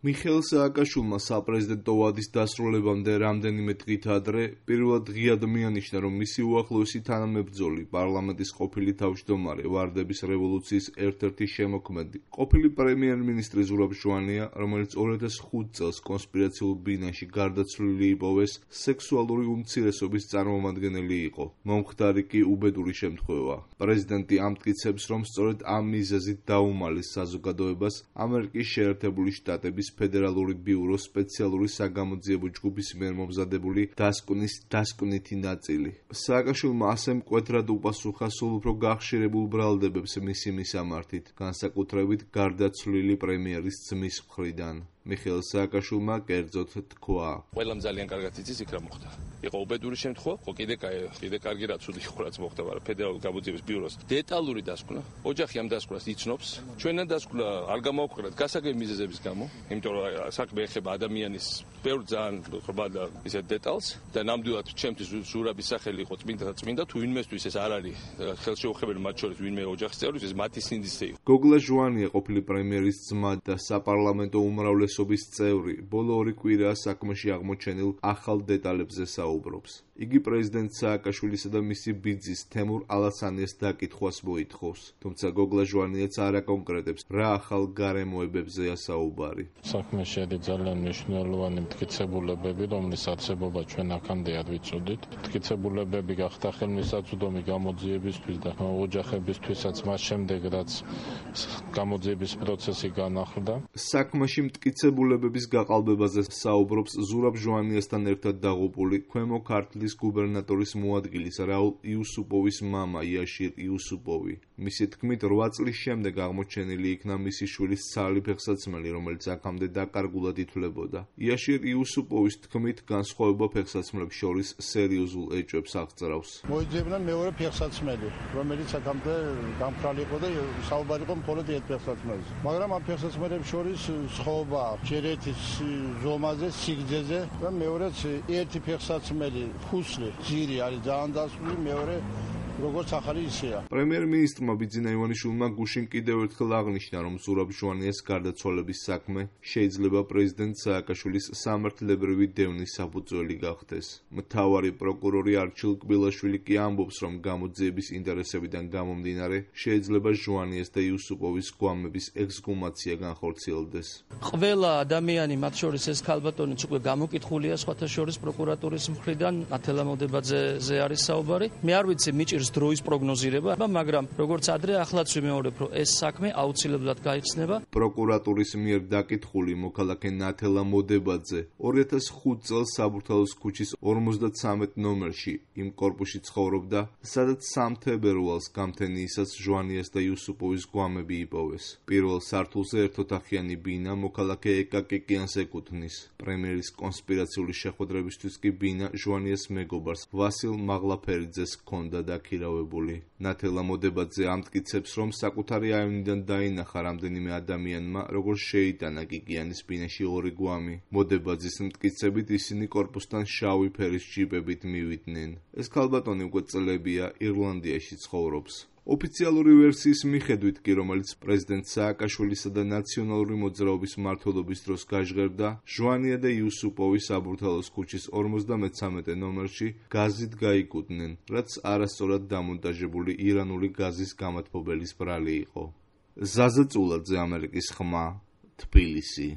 მიხეილ სააკაშვილმა საპრეზიდენტო ვადის დასრულებამდე რამდენიმე დღით ადრე პირველად ღიად მიანიშნა, რომ მისი უახლოესი თანამებრძოლი, პარლამენტის ყოფილი თავმჯდომარე, ვარდების რევოლუციის ერთ-ერთი შემოქმედი, ყოფილი პრემიერ-მინისტრი ზურაბ ჟვანია, რომელიც 2005 წელს კონსპირაციულ ბინაში გარდაცვლილი იპოვეს, სექსუალური უმცირესობის წარმომადგენელი იყო. მომხდარი კი უბედური შემთხვევაა. პრეზიდენტი ამტკიცებს, რომ სწორედ ამ მიზეზით დაუმალეს საზოგადოებას ამერიკის შეერთებული შტატების ფედერალური ბიუროს სპეციალური საგამოძიებო ჯგუფის მიერ მომზადებული დასკვნის დასკვნითი ნაწილი. სააკაშვილმა ასე მკვეთრად უპასუხა სულ უფრო გახშირებულ ბრალდებებს მისი მისამართით, განსაკუთრებით გარდაცვლილი პრემიერის ძმის მხრიდან. მიხეილ სააკაშვილმა კერძოდ თქვა: ყველამ ძალიან კარგად იცის იქ რა მოხდა. იყო უბედური შემთხვევა, ხო კიდე კარგი რა ცუდი იყო რაც მოხდა, მაგრამ ფედერალური გამოძიების ბიუროს დეტალური დასკვნა, ოჯახი ამ დასკვნას იცნობს. ჩვენთან დასკვნა არ გამოვაქვეყნეთ გასაგები მიზეზების გამო, იმიტომ რომ საქმე ეხება ადამიანის ბევრ ძალიან ხრბა და ისეთ დეტალს და ნამდვილად ჩემთვის ზურაბის სახელი იყო წმინდა თუ ვინმესთვის ეს არ არის ხელშეუხებელი, მათ შორის ვინმე ოჯახის წევრის, ეს მათი სინდისე იყო. გოგლა ჟვანია ყოფილი პრემიერის ძმა და საპარლამენტო უმრავლესობის წევრი, ბოლო 2 კვირაა საქმეში აღმოჩენილ ახალ დეტალებზე საუბრობს. იგი პრეზიდენტ სააკაშვილისა და მისი ბიძის თემურ ალასანიას დაკითხვას მოითხოვს, თუმცა გოგლა ჟვანიაც არ აკონკრეტებს, რა ახალ გარემოებებზეა საუბარი. საქმე შედი ძალიან მნიშვნელოვანი მტკიცებულებები, რომლის არსებობა ჩვენ აქამდეად ვიცოდით. მტკიცებულებები გახდა ხელმისაწვდომი გამოძიებისთვის და ოჯახებისთვისაც მას შემდეგ, რაც გამოძიების პროცესი განახლდა. საქმეში მტკიცებულებების გაყალბებაზე საუბრობს ზურაბ ჟვანიასთან ერთად დაღუპული ქვემო ქართლის გუბერნატორის მოადგილის რაულ იუსუპოვის მამა იაშირ იუსუპოვი. მისი თქმით, 8 წლის შემდეგ აღმოჩენილი იქნა მისი შვილის ცალი ფეხსაცმელი, რომელიც აქამდე დაკარგულად ითვლებოდა. იაშირ იუსუპოვის თქმით, განსხვავება ფეხსაცმლებს შორის სერიოზულ ეჭვებს აღწრავს. მოიძებნა მეორე ფეხსაცმელი, რომელიც აქამდე გამქრალი იყო და საუბარი იყო მხოლოდ ერთ ფეხსაცმელზე. მაგრამ ამ ფეხსაცმელებს შორის სხვაობა ჯერ ერთის ზომაზე, სიგრძეზე და მეორეც ერთი ფეხსაცმელი ხუსლი, ძირი არის ძალიან დასწული, მეორე როგორც ახალი ისეა. პრემიერ-მინისტრმა ბიძინა ივანიშვილმა გუშინ კიდევ ერთხელ აღნიშნა, რომ ზურაბ ჟვანიას გარდაცვალების საქმე შეიძლება პრეზიდენტ სააკაშვილის სამართლებრივი დევნის საფუძველი გახდეს. მთავარი პროკურორი არჩილ კბილაშვილი კი ამბობს, რომ გამოძიების ინტერესებიდან გამომდინარე შეიძლება ჟვანიას და იუსუპოვის გვამების ექსგუმაცია განხორციელდეს. ყველა ადამიანი, მათ შორის ეს ქალბატონიც უკვე გამოკითხულია სხვათა შორის პროკურატურის მხრიდან, ათელა მოდებაძეზე არის საუბარი. მე არ ვიცი მიჭირს დროის პროგნოზირება, მაგრამ როგორც ადრე ახლაც ვიმეორებ, რომ ეს საქმე აუცილებლად გაიხსნება. პროკურატურის მიერ დაკითხული მოქალაქე ნათელა მოდებაძე 2005 წელს საბურთალოს ქუჩის 53 ნომერში იმ კორპუსში ცხოვრობდა, სადაც 3 თებერვალს გამთენიისას ჟვანიას და იუსუპოვის გვამები იპოვეს. პირველ სართულზე ერთოთახიანი ბინა მოქალაქე ეკა კეკიანს ეკუთვნის. პრემიერის კონსპირაციული შეხვედრებისთვის კი ბინა ჟვანიას მეგობარს ვასილ მაღლაფერიძეს ჰქონდა დაქირავებული. ნათელა მოდებაძე ამტკიცებს, რომ საკუთარი აივნიდან დაინახა რამდენიმე ადამიანმა, როგორც შეიტანა კიკიანის ბინაში 2 გვამი. მოდებაძის მტკიცებით ისინი კორპუსთან შავი ფერის ჯიპებით მივიდნენ. ეს ქალბატონი უკვე წლებია ირლანდიაში ცხოვრობს. ოფიციალური ვერსიის მიხედვით კი, რომელიც პრეზიდენტ სააკაშვილისა და ნაციონალური მოძრაობის მმართველობის დროს გაჟღერდა, ჟვანია და იუსუპოვი საბურთალოს ქუჩის 53 ნომერში გაზით გაიკუდნენ, რაც არასწორად დამონტაჟებული ირანული გაზის გამათბობელის ბრალი იყო. ზაზა წულაძე, ამერიკის ხმა, თბილისი.